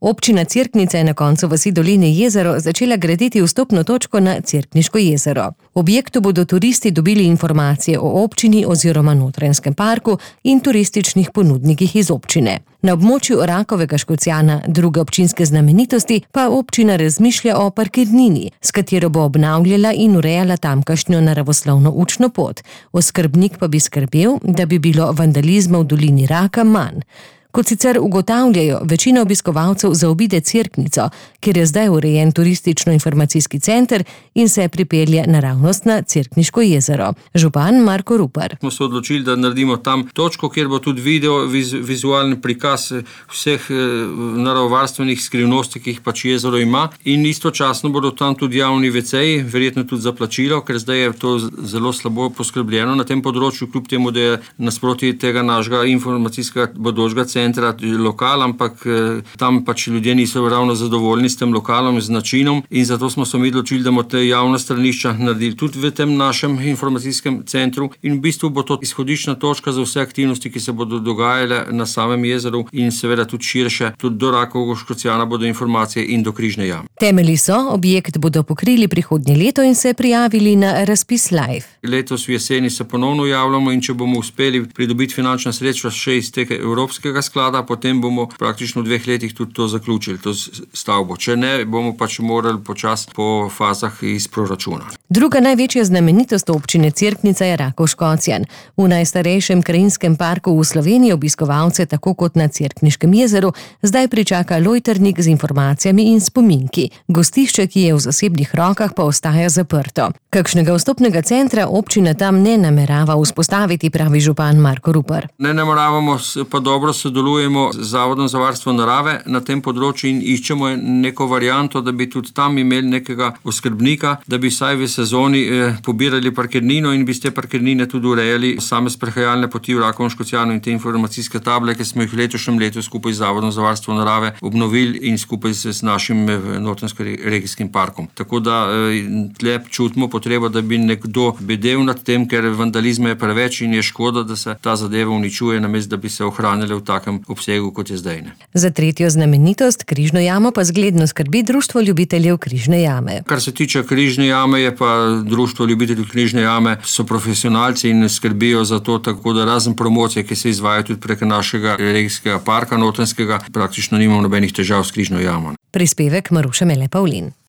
Občina Cerknica je na koncu vasi Doline jezero začela graditi vstopno točko na Cerkniško jezero. V objektu bodo turisti dobili informacije o občini oziroma Notranjskem parku in turističnih ponudnikih iz občine. Na območju Rakovega Škocjana, druge občinske znamenitosti, pa občina razmišlja o parkirnini, s katero bo obnavljala in urejala tamkajšnjo naravoslovno učno pot. Oskrbnik pa bi skrbel, da bi bilo vandalizma v dolini Raka manj. Kot sicer ugotavljajo, večina obiskovalcev zaobide Cerknico, kjer je zdaj urejen turistično-informacijski center in se pripelje naravnost na Cerkniško jezero. Župan Marko Rupar. Smo se odločili, da naredimo tam točko, kjer bo tudi vizualni prikaz vseh naravovarstvenih skrivnosti, ki jih pač jezero ima, in istočasno bodo tam tudi javni WC-ji, verjetno tudi za plačilo, ker zdaj je to zelo slabo poskrbljeno na tem področju, kljub temu, da je nasproti tega našega informacijskega bodočega centra lokal, ampak tam pač ljudje niso ravno zadovoljni s tem lokalom, z načinom, in zato smo se mi odločili, da bomo te javna stranišča naredili tudi v tem našem informacijskem centru, in v bistvu bo to izhodiščna točka za vse aktivnosti, ki se bodo dogajale na samem jezeru in seveda tudi širše, tudi do Rakovega Škocjana bodo informacije in do Križne jame. Temelji so, objekt bodo pokrili prihodnje leto in se prijavili na razpis Live. Letos v jeseni se ponovno javljamo, in če bomo uspeli pridobiti finančna sredstva še iz tega evropskega sklada, potem bomo praktično v 2 letih tudi to zaključili, to stavbo. Če ne, bomo pač morali počasi po fazah iz proračuna. Druga največja znamenitost občine Cerknica je Rakov Škocjan. V najstarejšem krajinskem parku v Sloveniji obiskovalce, tako kot na Cerkniškem jezeru, zdaj pričaka lojtrnik z informacijami in spominki. Gostišče, ki je v zasebnih rokah, pa ostaja zaprto. Kakšnega vstopnega centra občina tam ne namerava vzpostaviti, pravi župan Marko Rupar. Ne nameravamo, pa dobro sodelujemo z Zavodom za varstvo narave na tem področju in iščemo neko varianto, da bi tudi tam imeli nekega oskrbnika, da bi vsaj v sezoni pobirali parkirnino in bi z te parkirnine tudi urejali same sprehajalne poti v Rakovem Škocjanu in te informacijske table, ki smo jih v letošnjem letu skupaj z Zavodom za varstvo narave obnovili in skupaj z našim Notranjsko-regijskim parkom. Tako da tle čutimo potrebo, da bi nekdo bedel nad tem, ker vandalizma je preveč in je škoda, da se ta zadeva uničuje, namesto da bi se ohranile v takem obsegu, kot je zdaj. Za tretjo znamenitost, Križno jamo, pa zgledno skrbi Društvo ljubiteljev Križne jame. Kar se tiče Križne jame, je pa Društvo ljubiteljev Križne jame so profesionalci in skrbijo za to, tako da razen promocije, ki se izvaja tudi prek našega regijskega parka Notranjskega, praktično nimamo nobenih težav s Križno jamo. Prispevek Maruša Mele Pavlin.